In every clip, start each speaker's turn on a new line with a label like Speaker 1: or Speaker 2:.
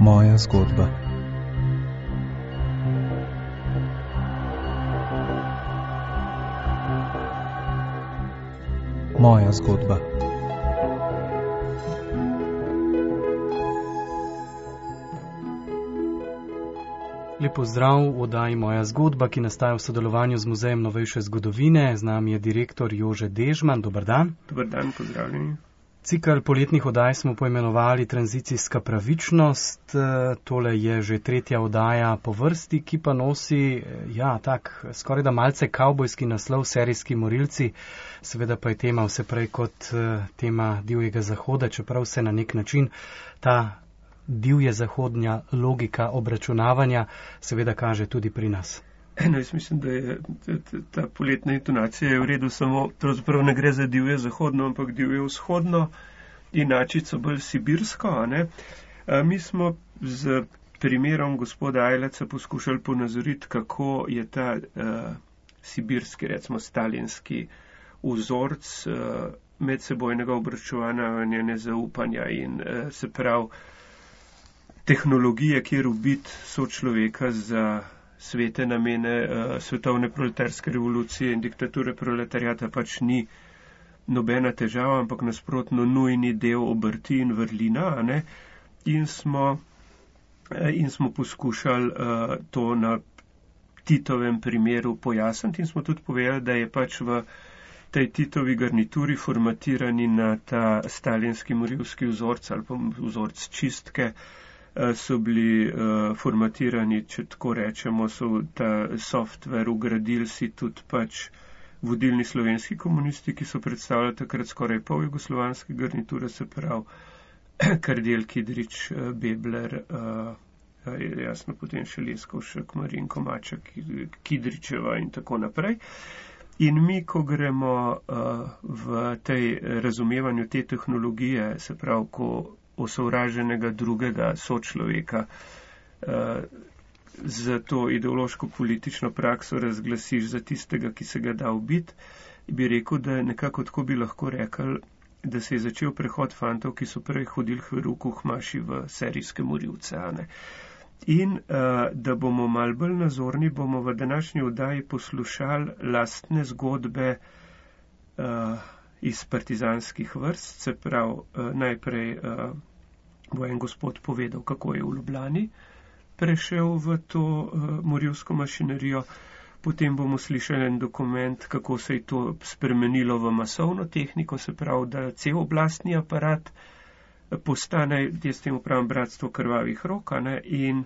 Speaker 1: Moja zgodba. Moja zgodba.
Speaker 2: Lep pozdrav v oddaji Moja zgodba, ki nastaja v sodelovanju z Muzejem novejše zgodovine. Z nami je direktor Jože Dežman. Dober dan.
Speaker 3: Dober dan, pozdravljeni.
Speaker 2: Cikl poletnih oddaj smo poimenovali Tranzicijska pravičnost. Tole je že tretja oddaja po vrsti, ki pa nosi, skoraj da malce kavbojski naslov Serijski morilci. Seveda pa je tema vse prej kot tema divjega zahoda, čeprav se na nek način ta divje zahodnja logika obračunavanja seveda kaže tudi pri nas.
Speaker 3: Jaz mislim, da je ta poletna intonacija je v redu, samo pravzaprav ne gre za divje zahodno, ampak divje vzhodno, inačico bolj sibirsko. Mi smo z primerom gospoda Ajleca poskušali ponazoriti, kako je ta sibirski, recimo stalinski vzorc medsebojnega obračunavanja, nezaupanja in se pravi tehnologije, kjer ubiti sočloveka za svete namene svetovne proletarske revolucije in diktature proletariata pač ni nobena težava, ampak nasprotno nujni del obrti in vrlina. In smo poskušali to na Titovem primeru pojasniti in smo tudi povedali, da je pač v tej Titovi garnituri formatirani na ta stalinski morilski vzorc ali pa vzorc čistke, so bili formatirani, če tako rečemo, so ta software ugradili si tudi pač vodilni slovenski komunisti, ki so predstavljali takrat skoraj pol jugoslovanske garniture, se pravi Kardelj, Kidrič, Bebler, jasno potem še Leskovšek, Marinko Maček, Kidričeva in tako naprej. In mi, ko gremo v tej razumevanju te tehnologije, se pravi, ko osovraženega drugega sočloveka za to ideološko-politično prakso razglasiš za tistega, ki se ga da ubiti, bi rekel, da nekako tako bi lahko rekli, da se je začel prehod fantov, ki so prej hodili v ruku hmaši v serijske morilce. In da bomo mal bolj nazorni, bomo v današnji oddaji poslušali lastne zgodbe iz partizanskih vrst, se pravi, najprej bo en gospod povedal, kako je v Ljubljani prešel v to morilsko mašinerijo, potem bomo slišali en dokument, kako se je to spremenilo v masovno tehniko, se pravi, da cel oblastni aparat postane, jaz temu pravim, bratstvo krvavih rok, in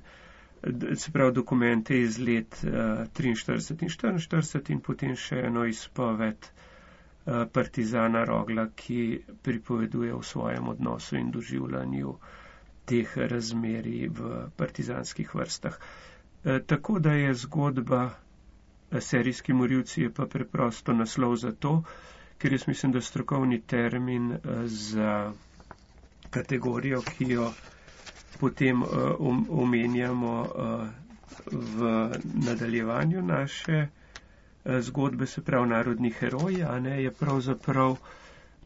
Speaker 3: se pravi dokumente iz let 43 in 44 in potem še eno izpoved partizana Rogla, ki pripoveduje o svojem odnosu in doživljanju teh razmerij v partizanskih vrstah. Tako da je zgodba Serijski morilci je pa preprosto naslov za to, ker jaz mislim, da strokovni termin za kategorijo, ki jo potem omenjamo v nadaljevanju naše zgodbe, se pravi narodni heroji, je pravzaprav,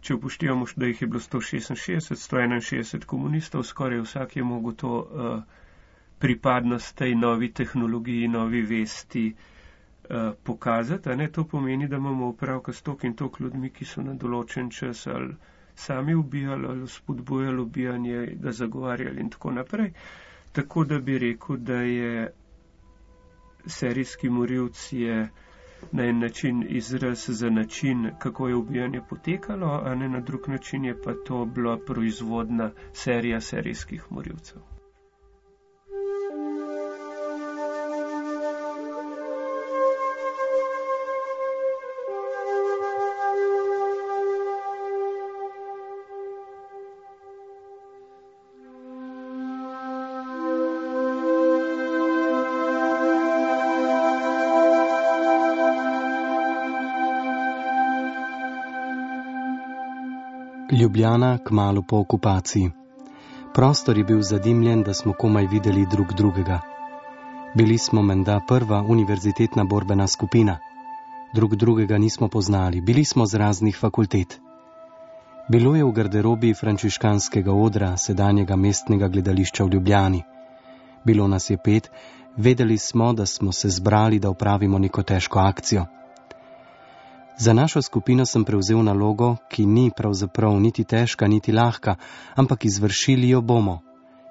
Speaker 3: če upoštevamo, da jih je bilo 161 komunistov, skoraj vsak je mogel to pripadnost tej novi tehnologiji, novi vesti pokazati. To pomeni, da imamo opravka s toliko in toliko ljudmi, ki so na določen čas ali sami ubijali ali spodbujali ubijanje, ga zagovarjali in tako naprej. Tako da bi rekel, da je serijski morilc je na en način izraz za način, kako je ubijanje potekalo, na drug način je pa to bila proizvodna serija serijskih morilcev.
Speaker 2: Ljubljana kmalu po okupaciji. Prostor je bil zadimljen, da smo komaj videli drug drugega. Bili smo menda prva univerzitetna borbena skupina. Drug drugega nismo poznali, bili smo z raznih fakultet. Bilo je v garderobi frančiškanskega odra, sedanjega mestnega gledališča v Ljubljani.
Speaker 4: Bilo nas je 5, vedeli smo, da smo se zbrali, da opravimo neko težko akcijo. Za našo skupino sem prevzel nalogo, ki ni pravzaprav niti težka, niti lahka, ampak izvršili jo bomo,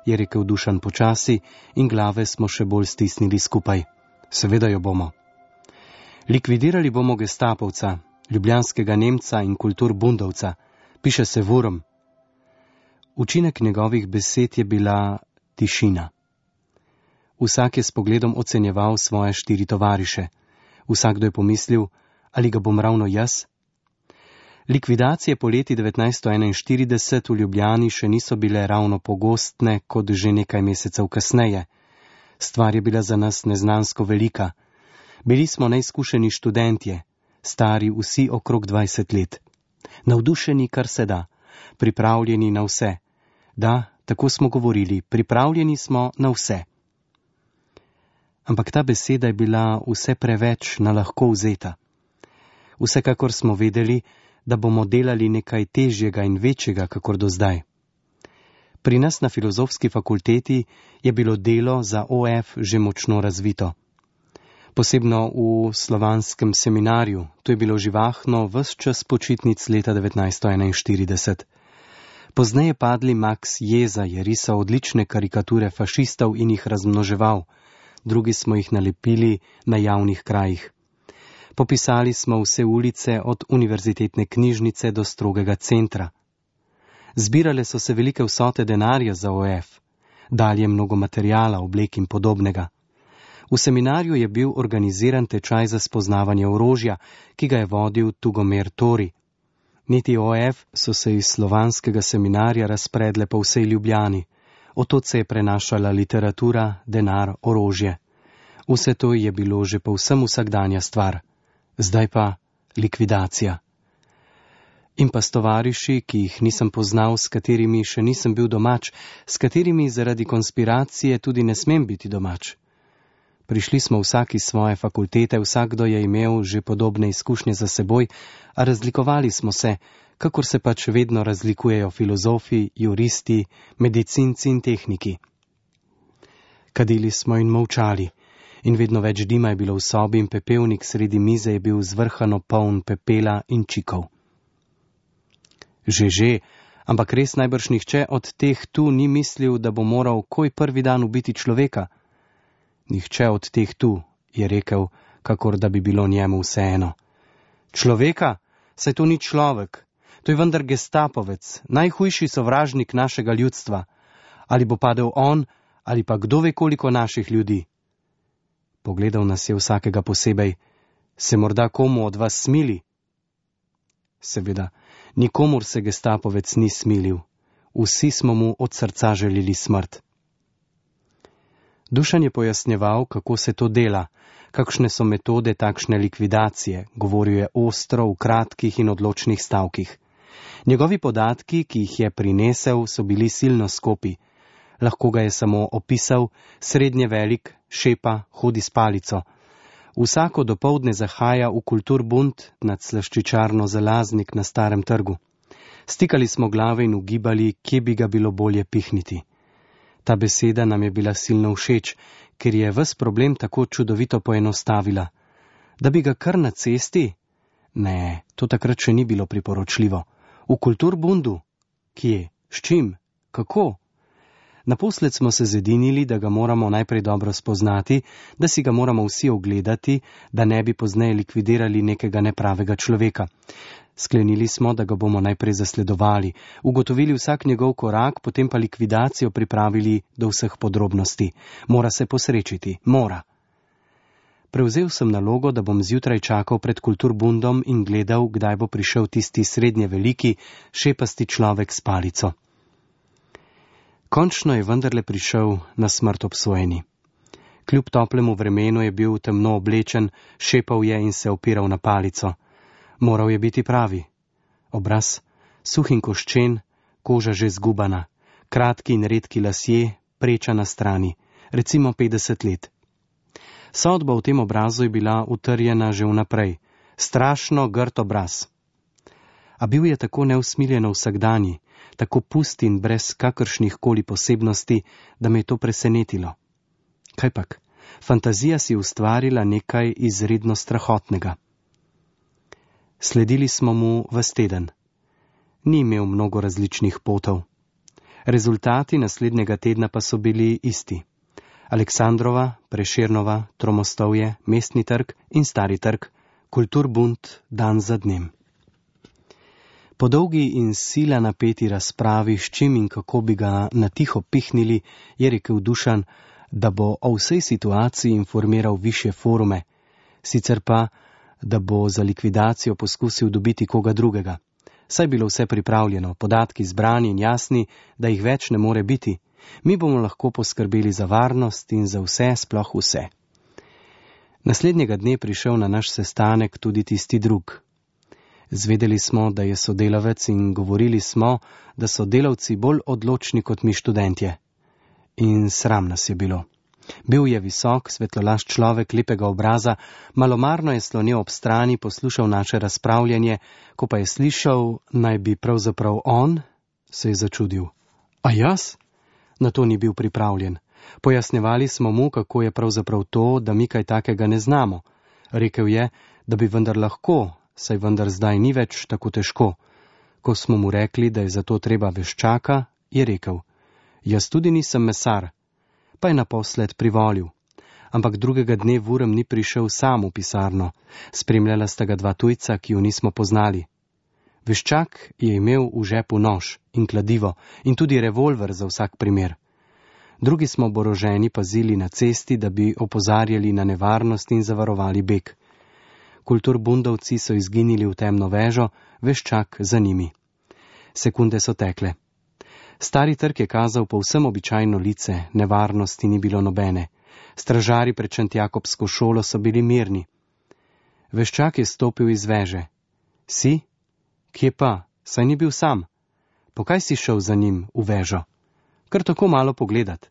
Speaker 4: je rekel Dušan počasi in glave smo še bolj stisnili skupaj. Seveda jo bomo. Likvidirali bomo gestapovca, ljubljanskega Nemca in kulturbundovca, piše se Wurm. Učinek njegovih besed je bila tišina. Vsak je s pogledom ocenjeval svoje 4 tovariše. Vsakdo je pomislil, ali ga bom ravno jaz? Likvidacije po leti 1941 v Ljubljani še niso bile ravno pogostne, kot že nekaj mesecev kasneje. Stvar je bila za nas neznansko velika. Bili smo neizkušeni študentje, stari vsi okrog 20 let. Navdušeni, kar se da, pripravljeni na vse. Da, tako smo govorili, pripravljeni smo na vse. Ampak ta beseda je bila vse preveč na lahko vzeta. Vsekakor smo vedeli, da bomo delali nekaj težjega in večjega, kakor do zdaj. Pri nas na filozofski fakulteti je bilo delo za OF že močno razvito. Posebno v slovanskem seminarju, to je bilo živahno ves čas počitnic leta 1941. Pozneje padli Max Jeza je risal odlične karikature fašistov in jih razmnoževal, drugi smo jih nalepili na javnih krajih. Popisali smo vse ulice od univerzitetne knjižnice do strogega centra. Zbirale so se velike vsote denarja za OF, dalje mnogo materijala, oblek in podobnega. V seminarju je bil organiziran tečaj za spoznavanje orožja, ki ga je vodil Tugomir Tori. Niti OF so se iz slovanskega seminarja razpredle po vsej Ljubljani. Otod se je prenašala literatura, denar, orožje. Vse to je bilo že povsem vsakdanja stvar. Zdaj pa likvidacija. In pa s tovariši, ki jih nisem poznal, s katerimi še nisem bil domač, s katerimi zaradi konspiracije tudi ne smem biti domač. Prišli smo vsak iz svoje fakultete, vsakdo je imel že podobne izkušnje za seboj, a razlikovali smo se, kakor se pač vedno razlikujejo filozofi, juristi, medicinci in tehniki. Kadili smo in molčali. In vedno več dima je bilo v sobi in pepelnik sredi mize je bil zvrhano poln pepela in čikov. Že, ampak res najbrž nihče od teh tu ni mislil, da bo moral koj prvi dan ubiti človeka. Nihče od teh tu, je rekel, kakor da bi bilo njemu vseeno. Človeka? Saj to ni človek. To je vendar gestapovec, najhujši sovražnik našega ljudstva. Ali bo padel on, ali pa kdo ve koliko naših ljudi. Pogledal nas je vsakega posebej. Se morda komu od vas smili? Seveda, nikomur se gestapovec ni smilil. Vsi smo mu od srca želeli smrt. Dušan je pojasnjeval, kako se to dela, kakšne so metode takšne likvidacije, govoril je ostro, v kratkih in odločnih stavkih. Njegovi podatki, ki jih je prinesel, so bili silno skopi. Lahko ga je samo opisal, srednje velik, šepa, hodi s palico. Vsako dopoldne zahaja v kulturbund nad slaščičarno Zalaznik na Starem trgu. Stikali smo glave in ugibali, kje bi ga bilo bolje pihniti. Ta beseda nam je bila silno všeč, ker je ves problem tako čudovito poenostavila. Da bi ga kar na cesti? Ne, to takrat še ni bilo priporočljivo. V kulturbundu? Kje? S čim? Kako? Naposled smo se zedinili, da ga moramo najprej dobro spoznati, da si ga moramo vsi ogledati, da ne bi pozneje likvidirali nekega nepravega človeka. Sklenili smo, da ga bomo najprej zasledovali, ugotovili vsak njegov korak, potem pa likvidacijo pripravili do vseh podrobnosti. Mora se posrečiti, mora. Prevzel sem nalogo, da bom zjutraj čakal pred kulturbundom in gledal, kdaj bo prišel tisti srednje veliki, šepasti človek s palico. Končno je vendarle prišel na smrt obsojeni. Kljub toplemu vremenu je bil temno oblečen, šepal je in se opiral na palico. Moral je biti pravi. Obraz, suh in koščen, koža že zgubana, kratki in redki lasje, preča na strani, recimo 50 let. Sodba v tem obrazu je bila utrjena že vnaprej. Strašno grd obraz. A bil je tako neusmiljeno vsakdanji, tako pust in brez kakršnih koli posebnosti, da me je to presenetilo. Kajpak, fantazija si ustvarila nekaj izredno strahotnega. Sledili smo mu ves teden. Ni imel mnogo različnih potov. Rezultati naslednjega tedna pa so bili isti. Aleksandrova, Prešernova, Tromostovje, Mestni trg in Stari trg, Kulturbund dan za dnem. Po dolgi in sila napeti razpravi, s čim in kako bi ga na tiho pihnili, je rekel Dušan, da bo o vsej situaciji informiral višje forume, sicer pa, da bo za likvidacijo poskusil dobiti koga drugega. Saj bilo vse pripravljeno, podatki zbrani in jasni, da jih več ne more biti. Mi bomo lahko poskrbeli za varnost in za vse, sploh vse. Naslednjega dne prišel na naš sestanek tudi tisti drug. Zvedeli smo, da je sodelavec in govorili smo, da so delavci bolj odločni kot mi študentje. In sram nas je bilo. Bil je visok, svetlolašč človek lepega obraza, malomarno je slonil ob strani, poslušal naše razpravljanje, ko pa je slišal, naj bi pravzaprav on, se je začudil. A jaz? Na to ni bil pripravljen. Pojasnjevali smo mu, kako je pravzaprav to, da mi kaj takega ne znamo. Rekel je, da bi vendar lahko, saj vendar zdaj ni več tako težko. Ko smo mu rekli, da je za to treba veščaka, je rekel, jaz tudi nisem mesar, pa je naposled privolil. Ampak drugega dne Vurem ni prišel sam v pisarno. Spremljala sta ga dva tujca, ki ju nismo poznali. Veščak je imel v žepu nož in kladivo in tudi revolver za vsak primer. Drugi smo oboroženi pazili na cesti, da bi opozarjali na nevarnost in zavarovali beg. Kulturbundovci so izginili v temno vežo, Veščak za njimi. Sekunde so tekle. Stari trg je kazal povsem običajno lice, nevarnosti ni bilo nobene. Stražari pred Šentjakobsko šolo so bili mirni. Veščak je stopil iz veže. Si? Kje pa? Saj ni bil sam. Po kaj si šel za njim v vežo? Kar tako malo pogledat.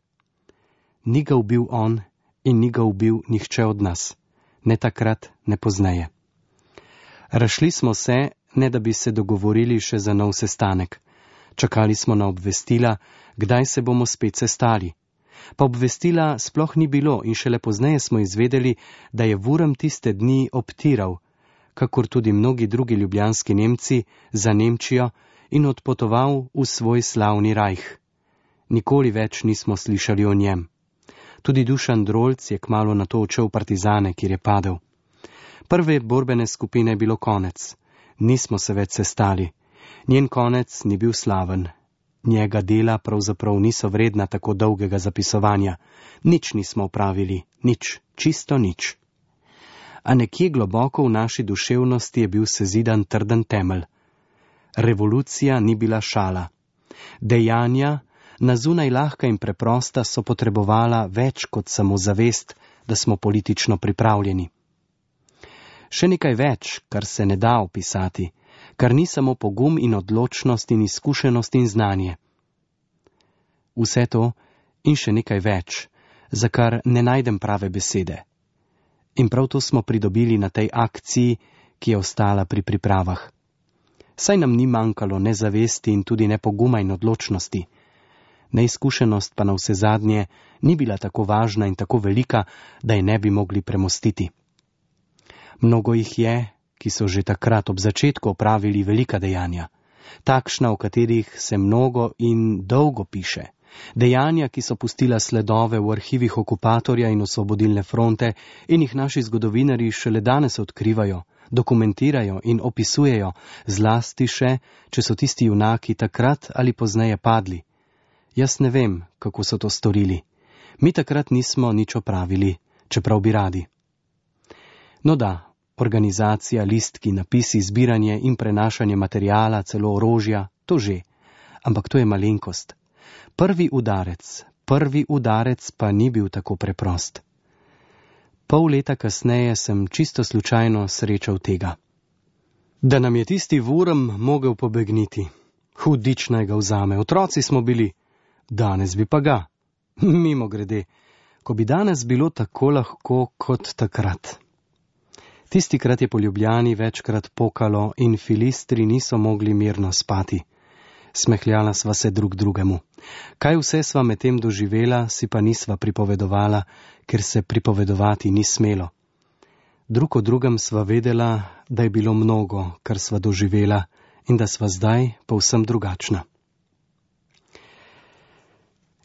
Speaker 4: Ni ga ubil on in ni ga ubil nihče od nas. Ne takrat, ne pozneje. Razšli smo se, ne da bi se dogovorili še za nov sestanek. Čakali smo na obvestila, kdaj se bomo spet sestali. Pa obvestila sploh ni bilo in šele pozneje smo izvedeli, da je Vurem tiste dni obtiral, kakor tudi mnogi drugi ljubljanski Nemci, za Nemčijo in odpotoval v svoj slavni rajh. Nikoli več nismo slišali o njem. Tudi Dušan Drolc je kmalu nato odšel v partizane, kjer je padel. Prve borbene skupine je bilo konec. Nismo se več sestali. Njen konec ni bil slaven. Njega dela pravzaprav niso vredna tako dolgega zapisovanja. Nič nismo opravili, nič, čisto nič. A nekje globoko v naši duševnosti je bil sezidan trden temelj. Revolucija ni bila šala. Dejanja, na zunaj lahka in preprosta, so potrebovala več kot samo zavest, da smo politično pripravljeni. Še nekaj več, kar se ne da opisati, kar ni samo pogum in odločnost in izkušenost in znanje. Vse to in še nekaj več, za kar ne najdem prave besede. In prav to smo pridobili na tej akciji, ki je ostala pri pripravah. Saj nam ni manjkalo ne zavesti in tudi ne poguma in odločnosti. Neizkušenost pa na vse zadnje ni bila tako važna in tako velika, da je ne bi mogli premostiti. Mnogo jih je, ki so že takrat ob začetku opravili velika dejanja. Takšna, o katerih se mnogo in dolgo piše. Dejanja, ki so pustila sledove v arhivih okupatorja in osvobodilne fronte in jih naši zgodovinarji šele danes odkrivajo, dokumentirajo in opisujejo, zlasti še, če so tisti junaki takrat ali pozneje padli. Jaz ne vem, kako so to storili. Mi takrat nismo nič opravili, čeprav bi radi. No da, organizacija, listki, napisi, zbiranje in prenašanje materijala, celo orožja, to že. Ampak to je malenkost. Prvi udarec pa ni bil tako preprost. Pol leta kasneje sem čisto slučajno srečal tega. Da nam je tisti Vurem mogel pobegniti. Hudič naj ga vzame, otroci smo bili. Danes bi pa ga. Mimogrede, ko bi danes bilo tako lahko kot takrat. Tistikrat je po Ljubljani večkrat pokalo in filistri niso mogli mirno spati. Smehljala sva se drug drugemu. Kaj vse sva medtem doživela, si pa nisva pripovedovala, ker se pripovedovati ni smelo. Drug o drugem sva vedela, da je bilo mnogo, kar sva doživela in da sva zdaj povsem drugačna.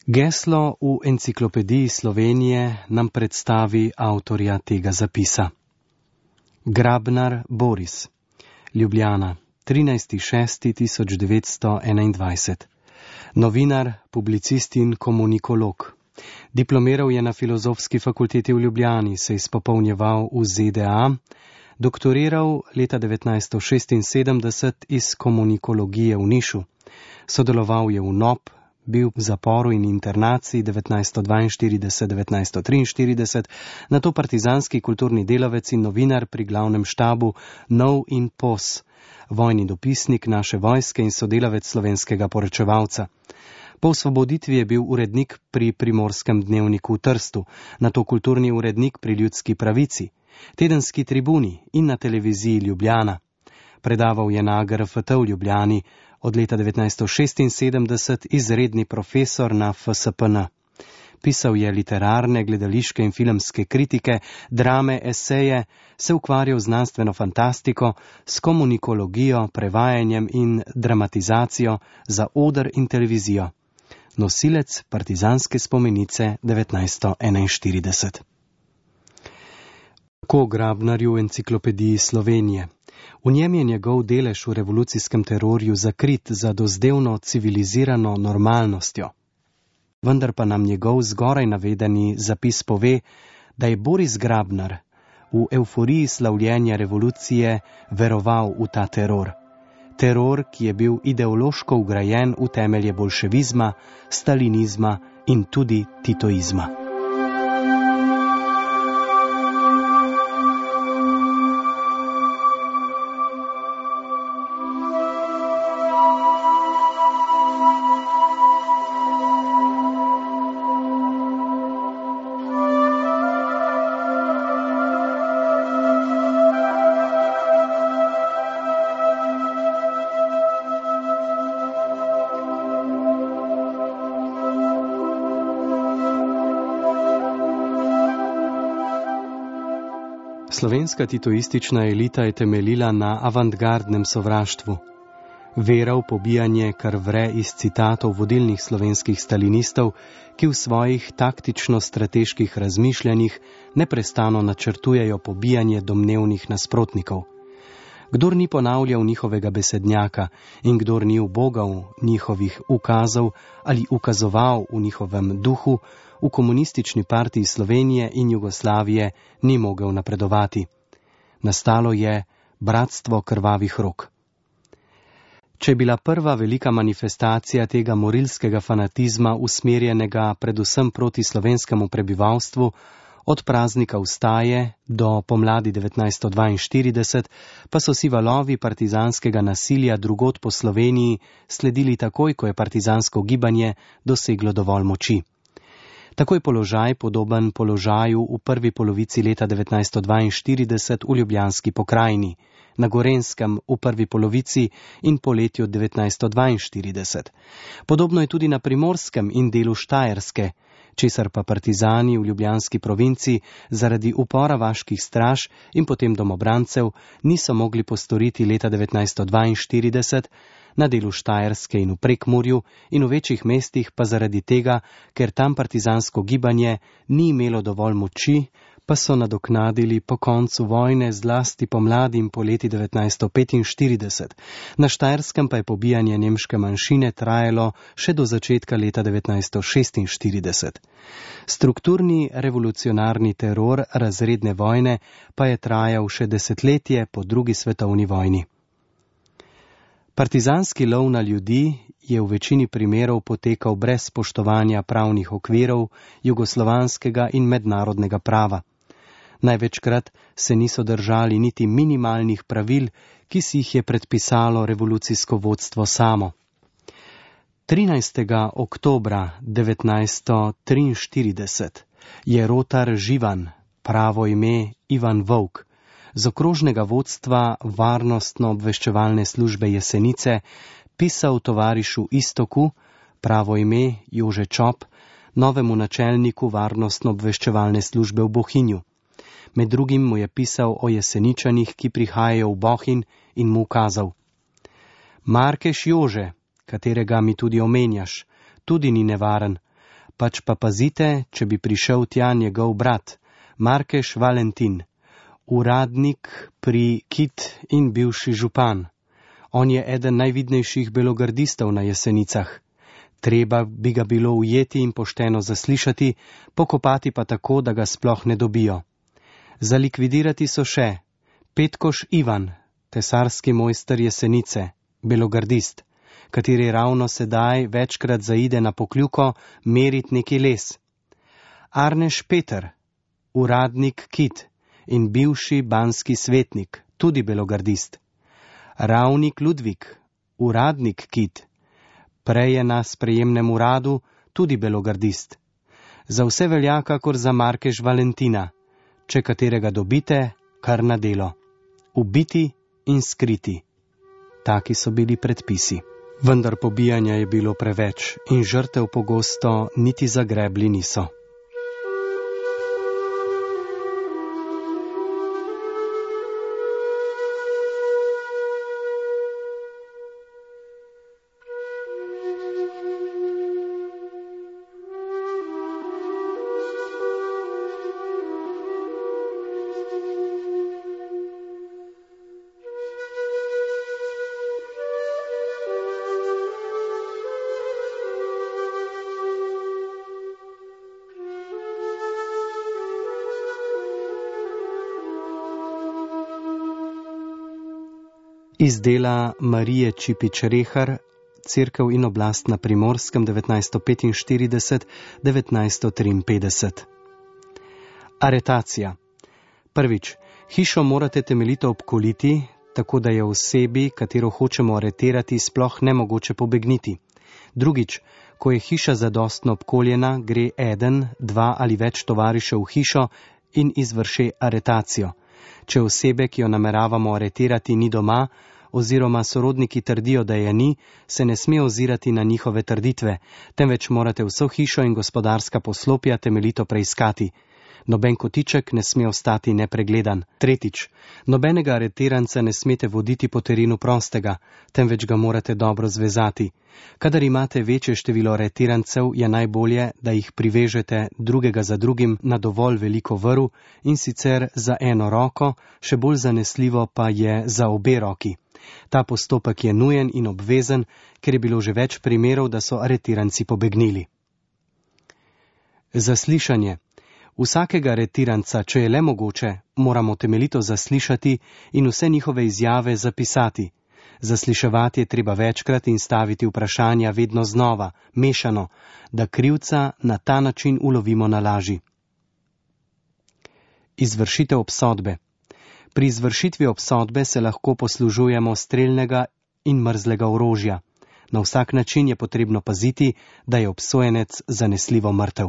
Speaker 4: Geslo v Enciklopediji Slovenije nam predstavi avtorja tega zapisa. Grabnar Boris, Ljubljana, 13.6.1921. Novinar, publicist in komunikolog. Diplomiral je na Filozofski fakulteti v Ljubljani, se izpopolnjeval v ZDA, doktoriral leta 1976 iz komunikologije v Nišu, sodeloval je v NOB, bil v zaporu in internaciji 1942-1943, nato partizanski kulturni delavec in novinar pri glavnem štabu Nov in POS, vojni dopisnik naše vojske in sodelavec slovenskega poročevalca. Po osvoboditvi je bil urednik pri Primorskem dnevniku v Trstu, nato kulturni urednik pri Ljudski pravici, tedenski Tribuni in na televiziji Ljubljana. Predaval je na GRFT v Ljubljani, od leta 1976 izredni profesor na FSPN. Pisal je literarne, gledališke in filmske kritike, drame, eseje, se ukvarjal z znanstveno fantastiko, s komunikologijo, prevajanjem in dramatizacijo za oder in televizijo. Nosilec partizanske spomenice 1941. Tako Grabnarju v Enciklopediji Slovenije. V njem je njegov delež v revolucijskem terorju zakrit za dozdevno civilizirano normalnostjo. Vendar pa nam njegov zgoraj navedeni zapis pove, da je Boris Grabnar v evforiji slavljenja revolucije veroval v ta teror. Teror, ki je bil ideološko vgrajen v temelje bolševizma, stalinizma in tudi titoizma. Slovenska titoistična elita je temeljila na avantgardnem sovraštvu. Vera v pobijanje, kar vre iz citatov vodilnih slovenskih stalinistov, ki v svojih taktično-strateških razmišljanjih neprestano načrtujejo pobijanje domnevnih nasprotnikov. Kdor ni ponavljal njihovega besednjaka in kdor ni ubogal njihovih ukazov ali ukazoval v njihovem duhu, v Komunistični partiji Slovenije in Jugoslavije ni mogel napredovati. Nastalo je bratstvo krvavih rok. Če je bila prva velika manifestacija tega morilskega fanatizma usmerjenega predvsem proti slovenskemu prebivalstvu, od praznika vstaje do pomladi 1942, pa so si valovi partizanskega nasilja drugod po Sloveniji sledili takoj, ko je partizansko gibanje doseglo dovolj moči. Tako je položaj podoben položaju v prvi polovici leta 1942 v Ljubljanski pokrajini, na Gorenskem v prvi polovici in poletju 1942. Podobno je tudi na Primorskem in delu Štajerske, česar pa partizani v Ljubljanski provinci zaradi upora vaških straž in potem domobrancev niso mogli postoriti leta 1942, na delu Štajerske in v Prekmurju in v večjih mestih pa zaradi tega, ker tam partizansko gibanje ni imelo dovolj moči, pa so nadoknadili po koncu vojne zlasti pomladi in poleti 1945. Na Štajerskem pa je pobijanje nemške manjšine trajalo še do začetka leta 1946. Strukturni revolucionarni teror razredne vojne pa je trajal še desetletje po drugi svetovni vojni. Partizanski lov na ljudi je v večini primerov potekal brez spoštovanja pravnih okvirov jugoslovanskega in mednarodnega prava. Največkrat se niso držali niti minimalnih pravil, ki si jih je predpisalo revolucijsko vodstvo samo. 13. oktobra 1943 je rotar Živan, pravo ime Ivan Vovk, z okrožnega vodstva varnostno-obveščevalne službe Jesenice pisal tovarišu Istoku, pravo ime Jože Čop, novemu načelniku varnostno-obveščevalne službe v Bohinju. Med drugim mu je pisal o Jeseničanih, ki prihajajo v Bohinj, in mu ukazal: Markeš Jože, katerega mi tudi omenjaš, tudi ni nevaren, pač pa pazite, če bi prišel tja njegov brat, Markeš Valentin, uradnik pri Kit in bivši župan. On je eden najvidnejših belogardistov na Jesenicah. Treba bi ga bilo ujeti in pošteno zaslišati, pokopati pa tako, da ga sploh ne dobijo. Zalikvidirati so še Petkoš Ivan, tesarski mojster Jesenice, belogardist, kateri ravno sedaj večkrat zaide na Pokljuko merit neki les. Arneš Peter, uradnik Kit in bivši banski svetnik, tudi belogardist. Ravnik Ludvik, uradnik Kit, prej je na sprejemnem uradu, tudi belogardist. Za vse velja kakor za Markeš Valentina, če katerega dobite, kar na delo. Ubiti in skriti. Taki so bili predpisi. Vendar pobijanja je bilo preveč in žrtev pogosto niti zagrebli niso. Iz dela Marije Čipič-Rehar, Cerkev in oblast na Primorskem 1945-1953. Aretacija. Prvič, hišo morate temeljito obkoliti, tako da je osebi, katero hočemo aretirati, sploh nemogoče pobegniti. Drugič, ko je hiša zadostno obkoljena, gre eden, dva ali več tovarišev v hišo in izvrši aretacijo. Če osebe, ki jo nameravamo aretirati, ni doma, oziroma sorodniki trdijo, da je ni, se ne sme ozirati na njihove trditve, temveč morate vso hišo in gospodarska poslopja temeljito preiskati. Noben kotiček ne sme ostati nepregledan. Tretjič, nobenega aretiranca ne smete voditi po terenu prostega, temveč ga morate dobro zvezati. Kadar imate večje število aretirancev, je najbolje, da jih privežete drugega za drugim na dovolj veliko vrv in sicer za eno roko, še bolj zanesljivo pa je za obe roki. Ta postopek je nujen in obvezen, ker je bilo že več primerov, da so aretiranci pobegnili. Zaslišanje. Vsakega aretiranca, če je le mogoče, moramo temeljito zaslišati in vse njihove izjave zapisati. Zasliševati je treba večkrat in staviti vprašanja vedno znova, mešano, da krivca na ta način ulovimo na laži. Izvršitev obsodbe. Pri izvršitvi obsodbe se lahko poslužujemo strelnega in mrzlega orožja. Na vsak način je potrebno paziti, da je obsojenec zanesljivo mrtev.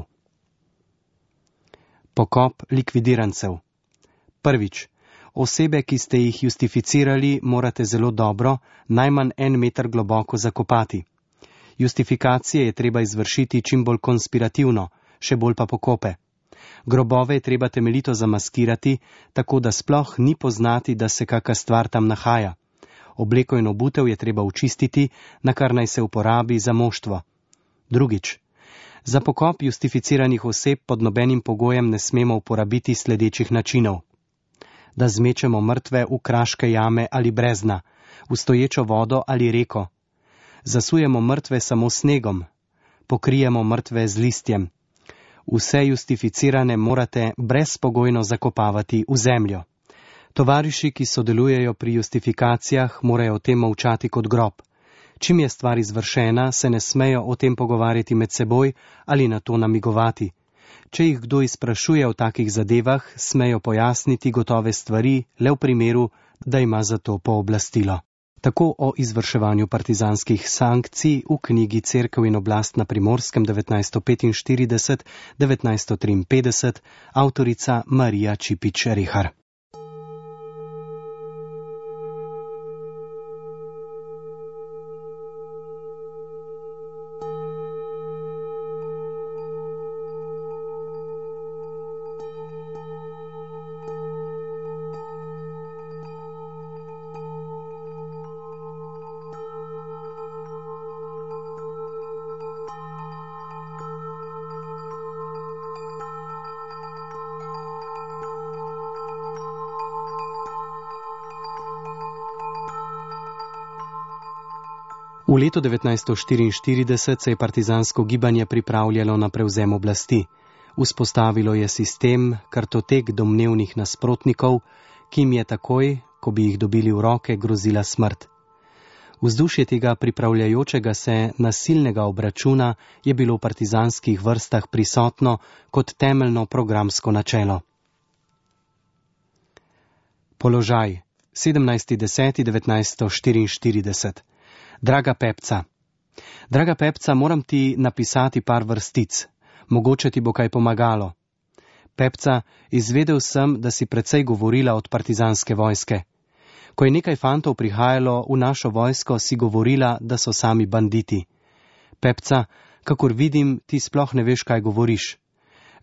Speaker 4: Pokop likvidirancev. Prvič, osebe, ki ste jih justificirali, morate zelo dobro, najmanj 1 meter globoko zakopati. Justifikacije je treba izvršiti čim bolj konspirativno, še bolj pa pokope. Grobove je treba temeljito zamaskirati, tako da sploh ni poznati, da se kaka stvar tam nahaja. Obleko in obutev je treba očistiti, na kar naj se uporabi za moštvo. Drugič, za pokop justificiranih oseb pod nobenim pogojem ne smemo uporabiti sledečih načinov. Da zmečemo mrtve v kraške jame ali brezna, v stoječo vodo ali reko. Zasujemo mrtve samo snegom. Pokrijemo mrtve z listjem. Vse justificirane morate brezpogojno zakopavati v zemljo. Tovariši, ki sodelujejo pri justifikacijah, morajo o tem molčati kot grob. Čim je stvar izvršena, se ne smejo o tem pogovarjati med seboj ali na to namigovati. Če jih kdo izprašuje o takih zadevah, smejo pojasniti gotove stvari le v primeru, da ima za to pooblastilo. Tako o izvrševanju partizanskih sankcij v knjigi Cerkev in oblast na Primorskem 1945-1953, avtorica Marija Čipič-Rehar. V letu 1944 se je partizansko gibanje pripravljalo na prevzem oblasti. Vzpostavilo je sistem, kartotek domnevnih nasprotnikov, ki jim je takoj, ko bi jih dobili v roke, grozila smrt. Vzdušje tega pripravljajočega se nasilnega obračuna je bilo v partizanskih vrstah prisotno kot temeljno programsko načelo. Položaj 17.10.1944. Draga Pepca. Draga Pepca, moram ti napisati par vrstic. Mogoče ti bo kaj pomagalo. Pepca, izvedel sem, da si precej govorila od partizanske vojske. Ko je nekaj fantov prihajalo v našo vojsko, si govorila, da so sami banditi. Pepca, kakor vidim, ti sploh ne veš, kaj govoriš.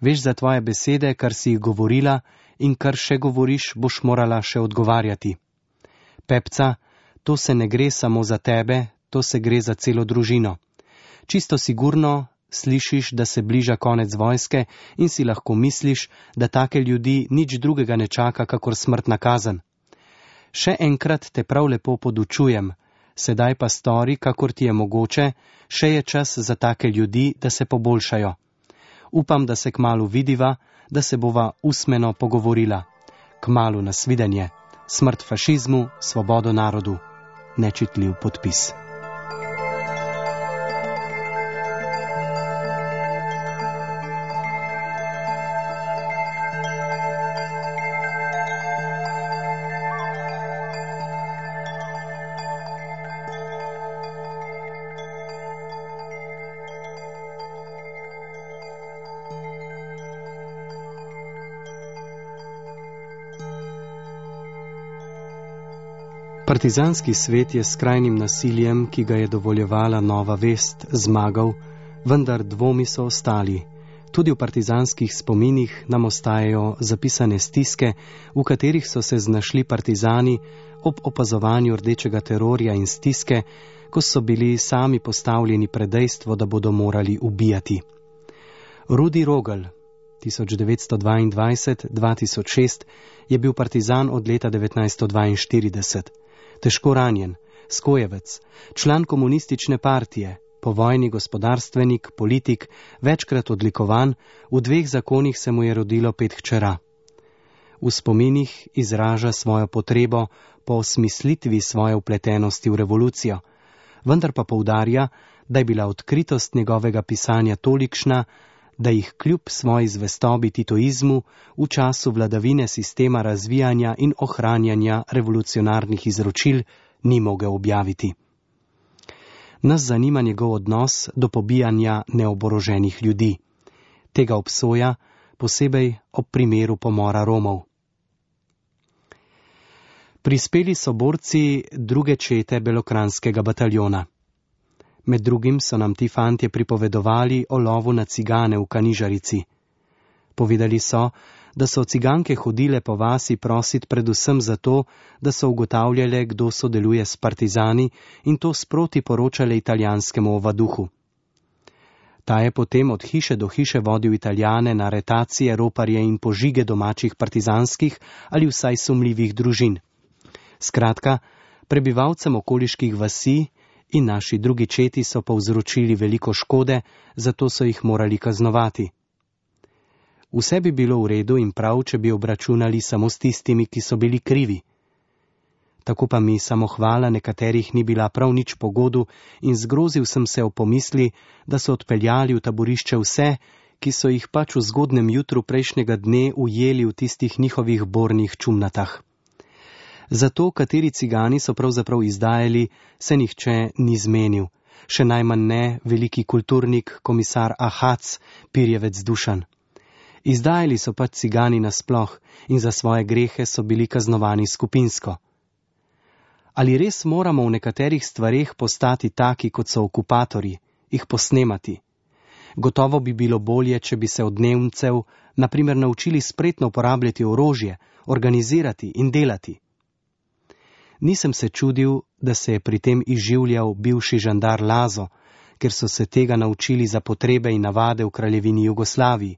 Speaker 4: Veš za tvoje besede, kar si jih govorila in kar še govoriš, boš morala še odgovarjati. Pepca, to se ne gre samo za tebe, to se gre za celo družino. Čisto sigurno slišiš, da se bliža konec vojske in si lahko misliš, da take ljudi nič drugega ne čaka, kakor smrtna kazen. Še enkrat te prav lepo podučujem, sedaj pa stori, kakor ti je mogoče, še je čas za take ljudi, da se poboljšajo. Upam, da se kmalu vidiva, da se bova usmeno pogovorila. Kmalu nasvidenje. Smrt fašizmu, svobodo narodu. Nečitljiv podpis. Partizanski svet je s skrajnim nasiljem, ki ga je dovoljevala nova vest, zmagal, vendar dvomi so ostali. Tudi v partizanskih spominih nam ostajajo zapisane stiske, v katerih so se znašli partizani ob opazovanju rdečega terorja in stiske, ko so bili sami postavljeni pred dejstvo, da bodo morali ubijati. Rudi Rogl, 1922-2006, je bil partizan od leta 1942. Težko ranjen, skojevec, član komunistične partije, povojni gospodarstvenik, politik, večkrat odlikovan, v 2 zakonih se mu je rodilo 5 hčera. V spominih izraža svojo potrebo po osmislitvi svoje vpletenosti v revolucijo, vendar pa poudarja, da je bila odkritost njegovega pisanja tolikšna, da jih kljub svoji zvestobi titoizmu v času vladavine sistema razvijanja in ohranjanja revolucionarnih izročil ni mogel objaviti. Nas zanima njegov odnos do pobijanja neoboroženih ljudi. Tega obsoja, posebej ob primeru pomora Romov. Prispeli so borci 2. čete belokranjskega bataljona. Med drugim so nam ti fantje pripovedovali o lovu na cigane v Kanižarici. Povedali so, da so ciganke hodile po vasi prosit predvsem zato, da so ugotavljale, kdo sodeluje s partizani in to sproti poročale italijanskemu ovaduhu. Ta je potem od hiše do hiše vodil Italijane na aretacije, roparje in požige domačih partizanskih ali vsaj sumljivih družin. Skratka, prebivalcem okoliških vasi in naši 2. četi so povzročili veliko škode, zato so jih morali kaznovati. Vse bi bilo v redu in prav, če bi obračunali samo s tistimi, ki so bili krivi. Tako pa mi samohvala nekaterih ni bila prav nič pogodu in zgrozil sem se o pomisli, da so odpeljali v taborišče vse, ki so jih pač v zgodnem jutru prejšnjega dne ujeli v tistih njihovih bornih čumnatah. Zato, kateri cigani so pravzaprav izdajali, se nihče ni zmenil, še najmanj ne veliki kulturnik, komisar Ahac, Pirjevec Dušan. Izdajali so pač cigani nasploh in za svoje grehe so bili kaznovani skupinsko. Ali res moramo v nekaterih stvareh postati taki, kot so okupatorji, jih posnemati? Gotovo bi bilo bolje, če bi se od Nemcev, na primer, naučili spretno uporabljati orožje, organizirati in delati. Nisem se čudil, da se je pri tem izživljal bivši žandar Lazo, ker so se tega naučili za potrebe in navade v kraljevini Jugoslaviji.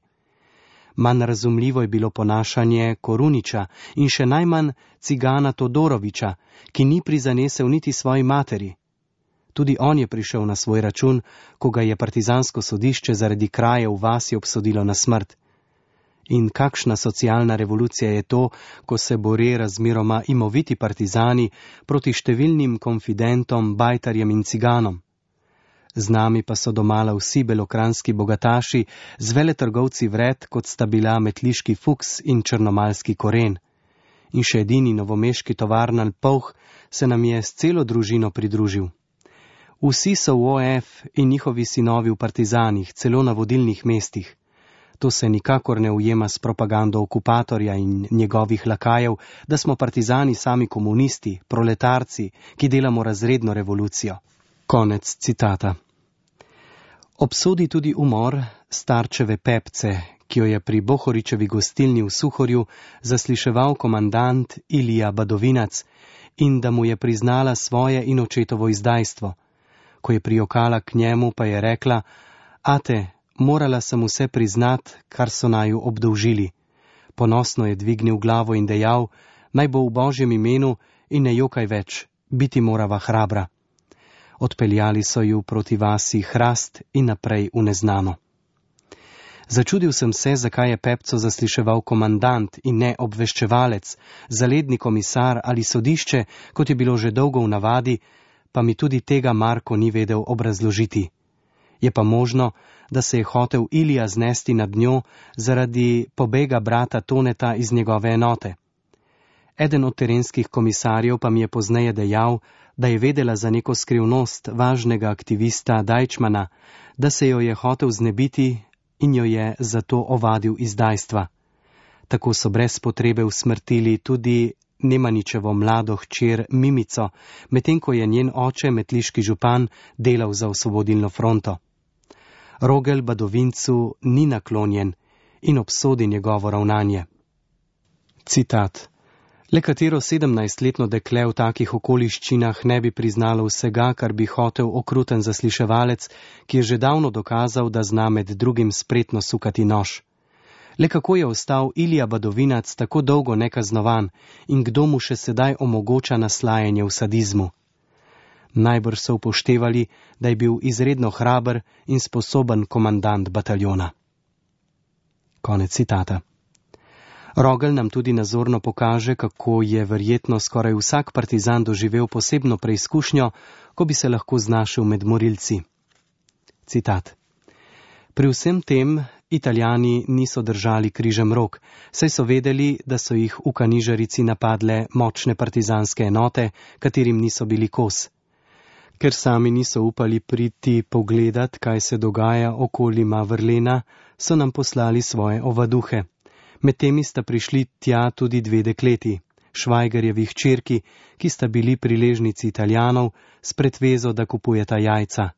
Speaker 4: Manj razumljivo je bilo ponašanje Koruniča in še najmanj cigana Todoroviča, ki ni prizanesel niti svoji materi. Tudi on je prišel na svoj račun, ko ga je partizansko sodišče zaradi kraje v vasi obsodilo na smrt. In kakšna socialna revolucija je to, ko se bore razmeroma imoviti partizani proti številnim konfidentom, bajtarjem in ciganom. Z nami pa so domala vsi belokranski bogataši z veletrgovci vred, kot sta bila metliški Fuks in črnomalski Koren. In še edini novomeški tovarnar Polh se nam je s celo družino pridružil. Vsi so v OF in njihovi sinovi v partizanih, celo na vodilnih mestih. To se nikakor ne ujema s propagando okupatorja in njegovih lakajev, da smo partizani sami komunisti, proletarci, ki delamo razredno revolucijo. Konec citata. Obsodi tudi umor starčeve Pepce, ki jo je pri Bohoričevi gostilni v Suhorju zasliševal komandant Ilija Badovinac in da mu je priznala svoje in očetovo izdajstvo. Ko je prijokala k njemu, pa je rekla: Ate, morala sem vse priznat, kar so naju obdolžili. Ponosno je dvignil glavo in dejal: naj bo v Božjem imenu in ne jokaj več, biti morava hrabra. Odpeljali so ju proti vasi Hrast in naprej v neznano. Začudil sem se, zakaj je Pepco zasliševal komandant in ne obveščevalec, zaledni komisar ali sodišče, kot je bilo že dolgo v navadi, pa mi tudi tega Marko ni vedel obrazložiti. Je pa možno, da se je hotel Ilija znesti nad njo zaradi pobega brata Toneta iz njegove enote. Eden od terenskih komisarjev pa mi je pozneje dejal, da je vedela za neko skrivnost važnega aktivista Dajčmana, da se jo je hotel znebiti in jo je zato ovadil izdajstva. Tako so brez potrebe usmrtili tudi Nemaničevo mlado hčer Mimico, medtem ko je njen oče, metliški župan, delal za Osvobodilno fronto. Rogel Badovincu ni naklonjen in obsodi njegovo ravnanje. Citat. Le katero 17-letno dekle v takih okoliščinah ne bi priznalo vsega, kar bi hotel okruten zasliševalec, ki je že davno dokazal, da zna med drugim spretno sukati nož. Le kako je ostal Ilija Badovinac tako dolgo nekaznovan in kdo mu še sedaj omogoča naslajanje v sadizmu? Najbrž so upoštevali, da je bil izredno hraber in sposoben komandant bataljona. Konec citata. Rogel nam tudi nazorno pokaže, kako je verjetno skoraj vsak partizan doživel posebno preizkušnjo, ko bi se lahko znašel med morilci. Citat. Pri vsem tem Italijani niso držali križem rok, saj so vedeli, da so jih v Kanižarici napadle močne partizanske enote, katerim niso bili kos. Ker sami niso upali priti pogledat, kaj se dogaja okoli Mavrlena, so nam poslali svoje ovaduhe. Med temi sta prišli tja tudi dve dekleti, Švajgarjevi hčerki, ki sta bili priležnici Italijanov, s pretvezo, da kupujeta jajca.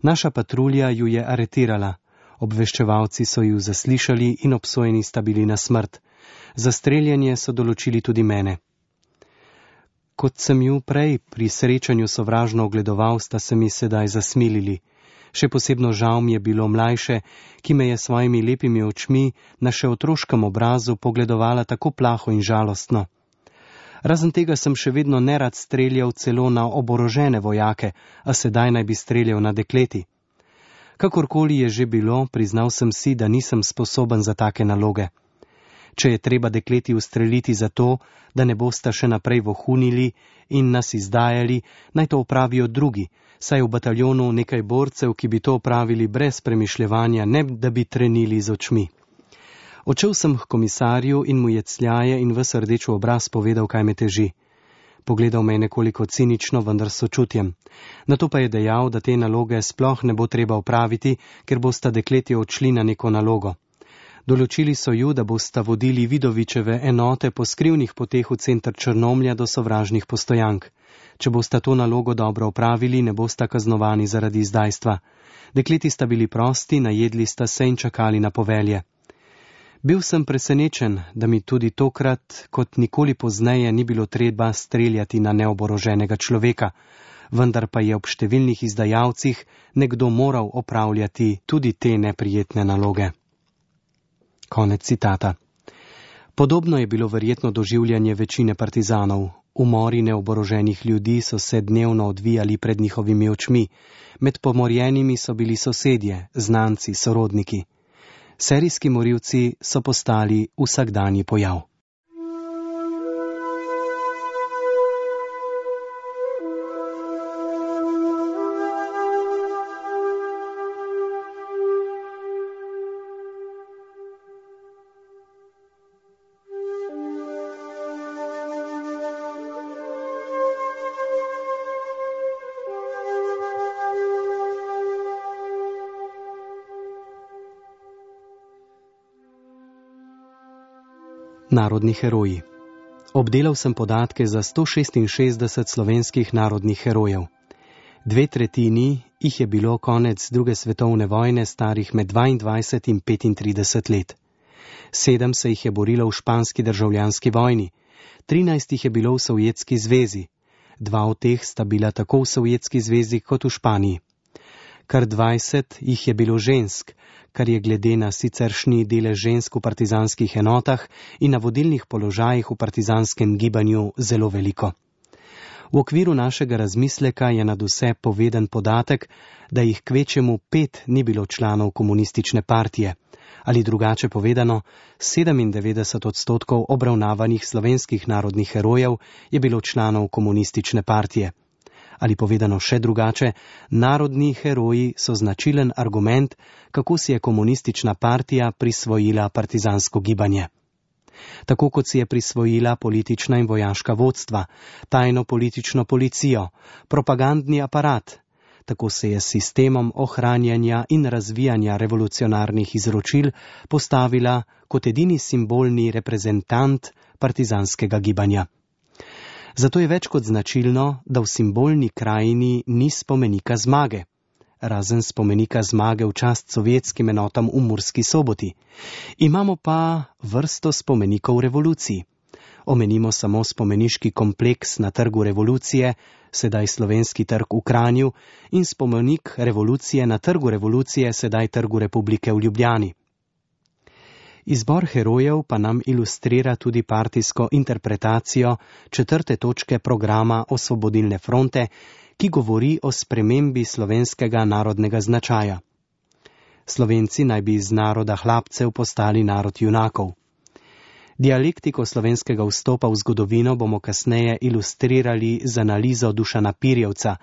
Speaker 4: Naša patrulja ju je aretirala. Obveščevalci so ju zaslišali in obsojeni sta bili na smrt. Za streljanje so določili tudi mene. Kot sem ju prej pri srečanju sovražno ogledoval, sta se mi sedaj zasmilili. Še posebno žal mi je bilo mlajše, ki me je svojimi lepimi očmi na še otroškem obrazu pogledovala tako plaho in žalostno. Razen tega sem še vedno nerad streljal celo na oborožene vojake, a sedaj naj bi streljal na dekleti. Kakorkoli je že bilo, priznal sem si, da nisem sposoben za take naloge. Če je treba dekleti ustreliti zato, da ne bosta še naprej vohunili in nas izdajali, naj to opravijo drugi, saj v bataljonu nekaj borcev, ki bi to opravili brez premišljevanja, ne da bi trenili z očmi. Odšel sem k komisarju in mu je cljaje in ves rdeč v obraz povedal, kaj me teži. Pogledal me je nekoliko cinično, vendar s sočutjem. Nato pa je dejal, da te naloge sploh ne bo treba opraviti, ker bosta dekleti odšli na neko nalogo. Določili so ju, da bosta vodili Vidovičeve enote po skrivnih poteh v center Črnomlja do sovražnih postojank. Če bosta to nalogo dobro opravili, ne bosta kaznovani zaradi izdajstva. Dekleti sta bili prosti, najedli sta se in čakali na povelje. Bil sem presenečen, da mi tudi tokrat, kot nikoli pozneje, ni bilo treba streljati na neoboroženega človeka, vendar pa je ob številnih izdajalcih nekdo moral opravljati tudi te neprijetne naloge. Konec citata. Podobno je bilo verjetno doživljanje večine partizanov. Umori neoboroženih ljudi so se dnevno odvijali pred njihovimi očmi. Med pomorjenimi so bili sosedje, znanci, sorodniki. Serijski morilci so postali vsakdanji pojav. Narodni heroji. Obdelal sem podatke za 166 slovenskih narodnih herojev. 2/3 jih je bilo konec druge svetovne vojne starih med 22 in 35 let. 7 se jih je borilo v španski državljanski vojni, 13 jih je bilo v Sovjetski zvezi, 2 od teh sta bila tako v Sovjetski zvezi kot v Španiji. Kar 20 jih je bilo žensk, kar je glede na siceršnji delež žensk v partizanskih enotah in na vodilnih položajih v partizanskem gibanju zelo veliko. V okviru našega razmisleka je nadvse poveden podatek, da jih kvečjemu 5 ni bilo članov komunistične partije, ali drugače povedano, 97% obravnavanih slovenskih narodnih herojev je bilo članov komunistične partije. Ali povedano še drugače, narodni heroji so značilen argument, kako si je komunistična partija prisvojila partizansko gibanje. Tako kot si je prisvojila politična in vojaška vodstva, tajno politično policijo, propagandni aparat, tako se je s sistemom ohranjanja in razvijanja revolucionarnih izročil postavila kot edini simbolni reprezentant partizanskega gibanja. Zato je več kot značilno, da v simbolni krajini ni spomenika zmage, razen spomenika zmage v čast sovjetskim enotam v Murski Soboti. Imamo pa vrsto spomenikov revoluciji. Omenimo samo spomeniški kompleks na Trgu revolucije, sedaj Slovenski trg v Kranju, in spomenik revolucije na Trgu revolucije, sedaj Trgu republike v Ljubljani. Izbor herojev pa nam ilustrira tudi partijsko interpretacijo 4. točke programa Osvobodilne fronte, ki govori o spremembi slovenskega narodnega značaja. Slovenci naj bi iz naroda hlapcev postali narod junakov. Dialektiko slovenskega vstopa v zgodovino bomo kasneje ilustrirali z analizo Dušana Pirjevca,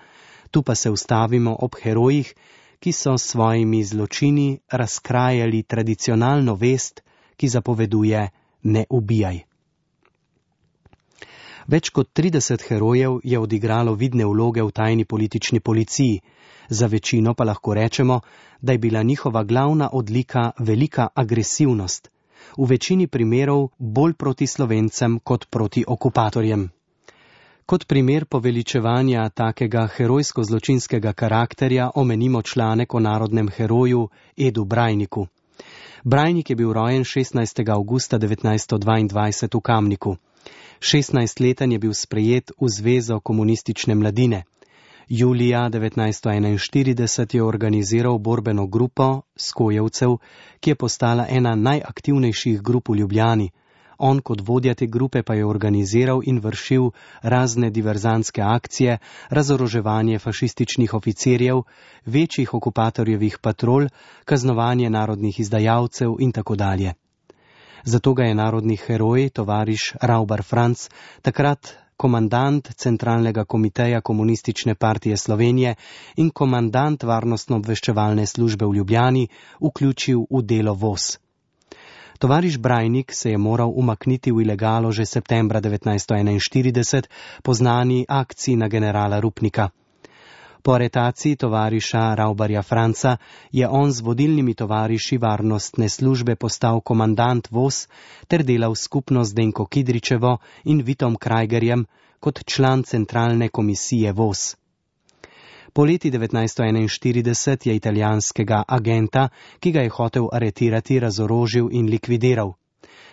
Speaker 4: tu pa se ustavimo ob herojih, ki so s svojimi zločini razkrajali tradicionalno vest, ki zapoveduje ne ubijaj. Več kot 30 herojev je odigralo vidne vloge v tajni politični policiji, za večino pa lahko rečemo, da je bila njihova glavna odlika velika agresivnost, v večini primerov bolj proti Slovencem kot proti okupatorjem. Kot primer poveličevanja takega herojsko-zločinskega karakterja omenimo članek o narodnem heroju Edu Brajniku. Brajnik je bil rojen 16. avgusta 1922 v Kamniku. 16-leten je bil sprejet v Zvezo komunistične mladine. Julija 1941 je organiziral borbeno grupo Skojevcev, ki je postala ena najaktivnejših grup v Ljubljani. On kot vodja te grupe pa je organiziral in vršil razne diverzantske akcije, razoroževanje fašističnih oficirjev, večjih okupatorjevih patrol, kaznovanje narodnih izdajalcev in tako dalje. Zato ga je narodni heroj, tovariš Raubar Franc, takrat komandant Centralnega komiteja Komunistične partije Slovenije in komandant Varnostno-obveščevalne službe v Ljubljani, vključil v delo VOS. Tovariš Brajnik se je moral umakniti v ilegalo že septembra 1941 po znani akciji na generala Rupnika. Po aretaciji tovariša Raubarja Franca je on z vodilnimi tovariši varnostne službe postal komandant VOS ter delal skupno z Denko Kidričevo in Vitom Krajgerjem kot član centralne komisije VOS. Po leti 1941 je italijanskega agenta, ki ga je hotel aretirati, razorožil in likvidiral.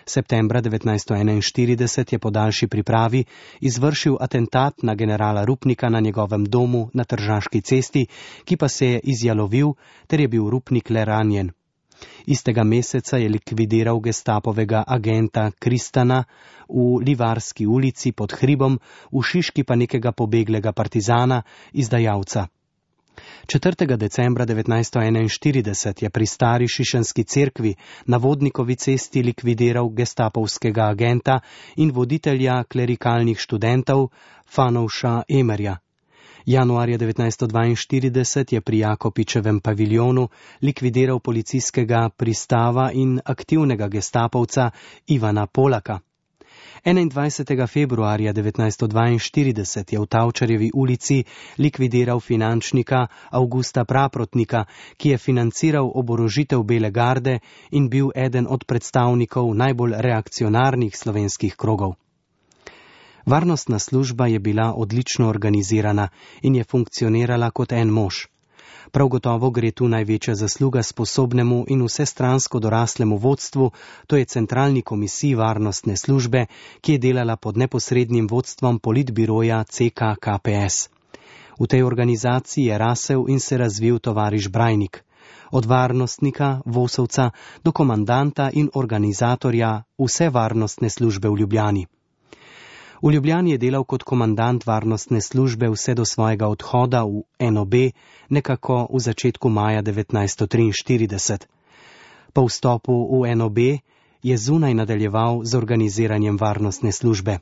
Speaker 4: Septembra 1941 je po daljši pripravi izvršil atentat na generala Rupnika na njegovem domu na Tržaški cesti, ki pa se je izjalovil, ter je bil Rupnik le ranjen. Istega meseca je likvidiral gestapovega agenta Kristana v Livarski ulici pod hribom, v Šiški pa nekega pobeglega partizana, izdajalca. 4. decembra 1941 je pri stari Šišenski cerkvi na Vodnikovi cesti likvidiral gestapovskega agenta in voditelja klerikalnih študentov Fanovša Emerja. Januarja 1942 je pri Jakopičevem paviljonu likvidiral policijskega pristava in aktivnega gestapovca Ivana Polaka. 21. februarja 1942 je v Tavčarjevi ulici likvidiral finančnika Avgusta Praprotnika, ki je financiral oborožitev Bele garde in bil eden od predstavnikov najbolj reakcionarnih slovenskih krogov. Varnostna služba je bila odlično organizirana in je funkcionirala kot en mož. Prav gotovo gre tu največja zasluga sposobnemu in vsestransko doraslemu vodstvu, to je centralni komisiji varnostne službe, ki je delala pod neposrednim vodstvom politbiroja CK KPS. V tej organizaciji je rasel in se razvil tovariš Brajnik. Od varnostnika, Vosovca, do komandanta in organizatorja vse varnostne službe v Ljubljani. V Ljubljani je delal kot komandant varnostne službe vse do svojega odhoda v NOB nekako v začetku maja 1943. Po vstopu v NOB je zunaj nadaljeval z organiziranjem varnostne službe.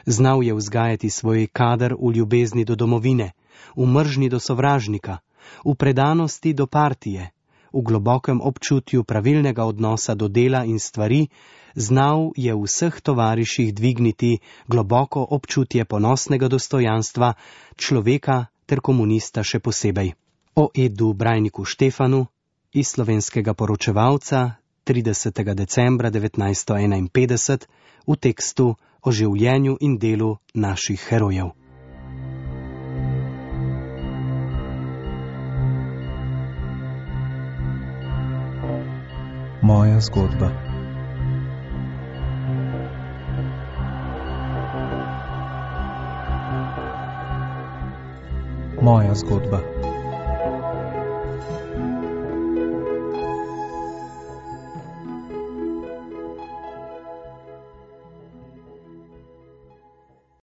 Speaker 4: Znal je vzgajati svoj kader v ljubezni do domovine, v mržnji do sovražnika, v predanosti do partije, v globokem občutju pravilnega odnosa do dela in stvari. Znal je v vseh tovariših dvigniti globoko občutje ponosnega dostojanstva človeka ter komunista še posebej. O Edu Brajniku Štefanu iz Slovenskega poročevalca 30. decembra 1951 v tekstu o življenju in delu naših herojev.
Speaker 1: Moja zgodba. Moja zgodba.